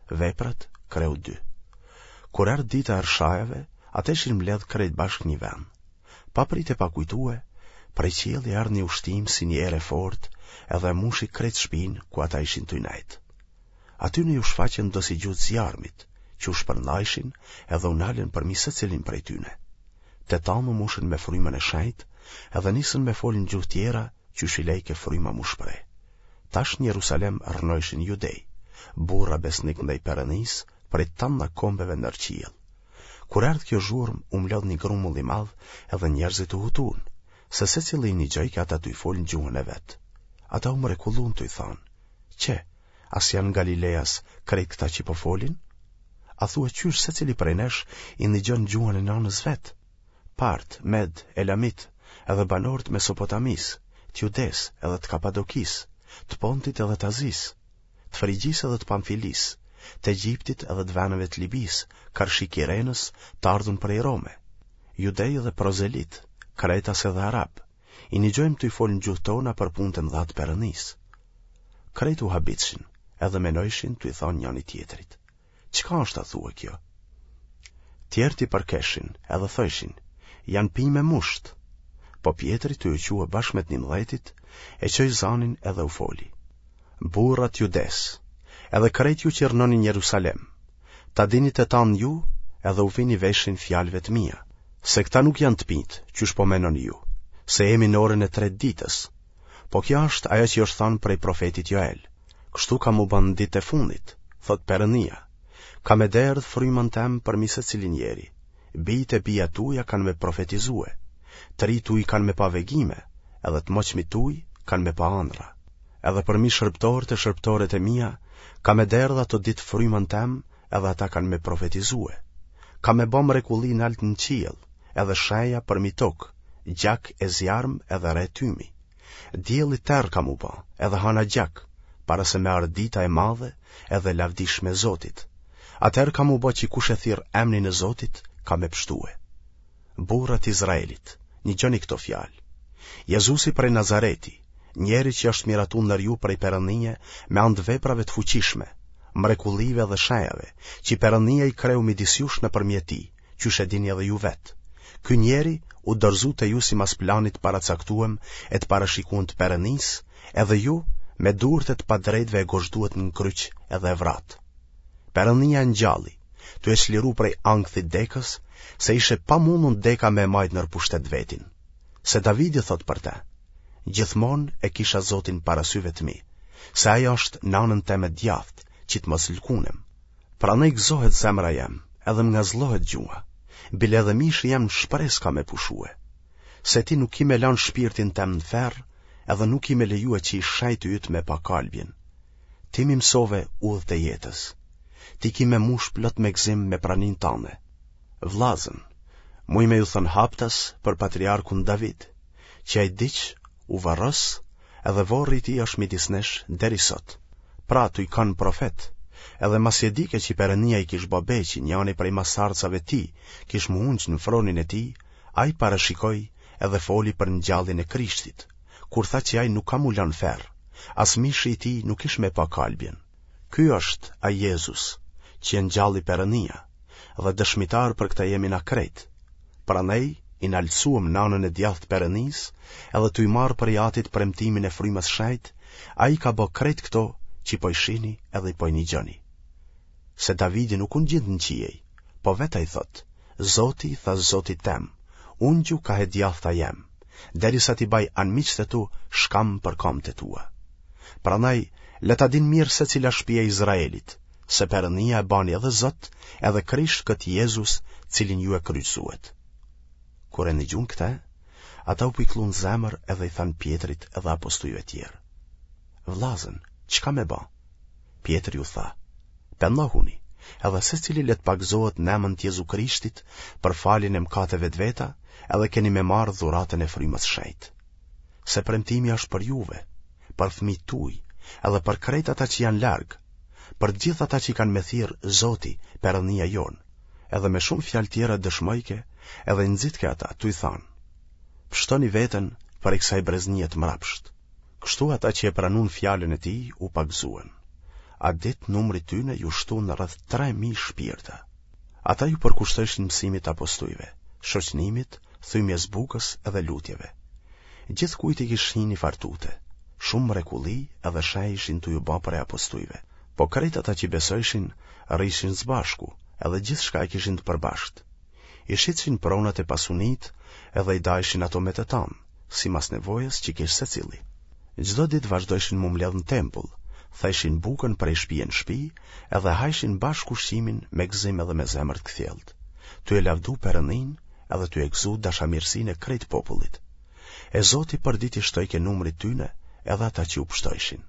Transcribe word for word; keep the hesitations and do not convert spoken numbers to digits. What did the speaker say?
Veprat, kreu dy. Kur erdh dita e Rrshajave, ata ishin mbledh krejt bashkë një vend. Pa prit e pa kujtue, prej qielli erdh një ushtim si një erë e fortë edhe e mushi krejt shpinë ku ata ishin tuj nejt. Atyne ju shfaqën dosi gjuhë zjarmit, që u shpërndajshin edhe u nalën përmi secilin prej tyne. Të tanë u mushën me frymën e shenjtë edhe nisën me folë në gjuhë tjera qysh i lejke fryma m'u shpreh. Tash në Jerusalem rrnojshin judej, burra besnik ndaj Perënisë prej tanna kombeve nër qiell. Kur erdh kjo zhurmë, u mblodh një grumbull i madh edhe njerëzit u hutun, se secili i nigjojke ata tuj folë në gjuhën e vet. Ata u mrekullun tuj thanë, Qe, a s'janë Galileas krejt këta që po folin? A thua qysh secili prej nesh i nigjon gjuhën e nanës vet? Part, Med, Elamit, edhe banorë të Mesopotamisë, të Judesë edhe të Kapadokisë, të Pontit edhe të Azisë, të Frigjisë edhe të Pamfilisë, të Egjiptit edhe të veneve të Libisë, karshi Kirenës, të ardhun prej Rome, judej edhe prozelitë, kretas edhe arabë, i nigjojmë tuj folë në gjuhë tona për punët e mëdha të Perënisë. Krejt u habitshin, edhe menojshin tuj thanë njani tjetrit. Çka është a thua kjo? Tjerët i përkeshin, edhe thojshin, janë pi me musht. Po Pjetri tuj u çue bashkë me të njëmdhetit, e çoi zanin edhe u foli. Burra të Judesë, edhe krejt ju që rrnoni në Jerusalem, ta dini të tanë ju edhe u vini veshin fjalëve të mia, se këta nuk janë të pitë, qysh po menoni ju, se jemi në orën e tretë ditës. Po kjo është ajo që është thanë prej profetit Joel. Kështu ka m'u ba në ditë e fundit, thotë Perënia. Kam me derdh frymën tem përmi secilin njeri. Bijtë e bijat tuja kanë me profetizue. Të rijtë tuj kanë me pa vegime, edhe të moçmit tuj kanë me pa andrra. Edhe përmi shërbëtorët e shërbëtoret e mia, kam me derdh ato ditë frymën tem, edhe ata kanë me profetizue. Kam me ba mrekulli nalt në qiell, edhe shenja përmi tokë, gjak e zjarm edhe re tymi. Dielli terr ka m'u ba, edhe hana gjak, para se me ardhë dita e madhe edhe e lavdishme e Zotit. Atëherë ka m'u ba që kush e thirr emnin e Zotit, ka me pshtue. Burra të Izraelit, nigjoni këto fjalë. Jezusi prej Nazareti, njeri që është miratu ndër ju prej Perëndie me anë të veprave të fuqishme, mrekullive dhe shenjave, që Perëndia i kreu midis jush nëpërmjet tij, qysh e dini edhe ju vetë. Ky njeri u dorëzu te ju simas planit të paracaktuem e të parashikuem të Perëndisë, edhe ju me durët e të padrejtëve e gozhduet në kryq edhe e vratë. Perëndia e ngjalli, tu e çliru prej ankthit dekës, se ish e pamundun deka me e majt nër pushtet vetin. Se Davidi thot për te, gjithmonë e kisha Zotin para syve të mi, se ai është në anën teme të djathtë, që të mos lkunem. Prandaj gëzohet zemra jem, edhe më ngazllohet gjuha, bile edhe mishi jem në shpresë ka me pushue. Se ti nuk ki me lanë shpirtin tem në ferr, edhe nuk ki me lejue që i shejti yt me pa kalbjen. Ti m'i mësove udhët e jetës. Ti ki me mush plot me gëzim me praninë tande. Vllazën, muj me ju thënë haptas për patriarkun David, që ai vdiq, u varros, edhe vorri i tij është midis nesh deri sot. Pra, tuj kanë profet, edhe masi e dike që Perënia i kish ba be që njani prej masardhësave tij kish m'u ungj në fronin e tij, ai parashikoi edhe foli për ngjalljen e Krishtit, kur tha që ai nuk ka m'u lanë n'ferr, as mishi i tij nuk ish me pa kalbjen. Ky është ai Jezus, që e ngjalli Perënia, dhe dëshmitarë për këtë jemi na krejt. Prandaj, i naltësuem në anën e djathtë Perënisë, edhe tuj marrë prej Atit premtimin e Frymës Shejtë, ai ka bë krejt këto që po i shihni edhe po i nigjoni. Se Davidi nuk u ngjit në qiej, po vetë ai thotë, Zoti i tha Zotit tem, ungju kah e djathta jem, derisa t'i baj anmiqtë e tu shkam për kamët e tua. Prandaj, le ta dinë mirë secila shtëpi e Izraelit, se Perënia e bani edhe Zot, edhe Krisht këtë Jezus, cilin ju e kryqëzuet. Kur e nigjuan këtë, ata u pikëllun zemër edhe i thanë Pjetrit edhe apostujve tjerë. Vllazën, çka me ba? Pjetri u tha, pendohuni, edhe secili le të pagëzohet në emën të Jezu Krishtit për faljen e mëkateve të veta, edhe keni me marrë dhuratën e frymës shejtë. Se premtimi është për juve, për fëmijët tuaj, edhe për krejt ata që janë larg, për të gjithë ata që kanë me thirrë Zoti, Perënia jonë. Edhe me shumë fjalë tjera dëshmojke, edhe nxitke ata, tuj thanë, pshtoni veten prej kësaj breznie të mrapsht. Kështu ata që e pranun fjalën e tij u pagëzuen. Atë ditë numrit tyne ju shtun rreth tre mijë shpirta. Ata ju përkushtojshin mësimit t'apostujve, shoqnimit, thymjes bukës edhe lutjeve. Gjithkujt i kish hi ni farë tute. Shumë mrekulli edhe shenjë ishin tu ju ba prej apostujve. Po krejt ata qi besojshin rrijshin s'bashku, edhe gjithçka e kishin të përbashkët. I shitshin pronat e pasunitë edhe i dajshin ato me të tanë, simas nevojës qi kish secilli. Çdo ditë vazhdojshin m'u mbledhë në tempull, thejshin bukën prej shpie në shpi edhe hajshin bashkë ushqimin me gëzim edhe me zemër të kthjellët, tu e lavdu Perëndinë edhe tu e gëzu dashamirësinë e krejt popullit. E Zoti përditë i shtojke numrit tyne edhe ata që u pshtojshin.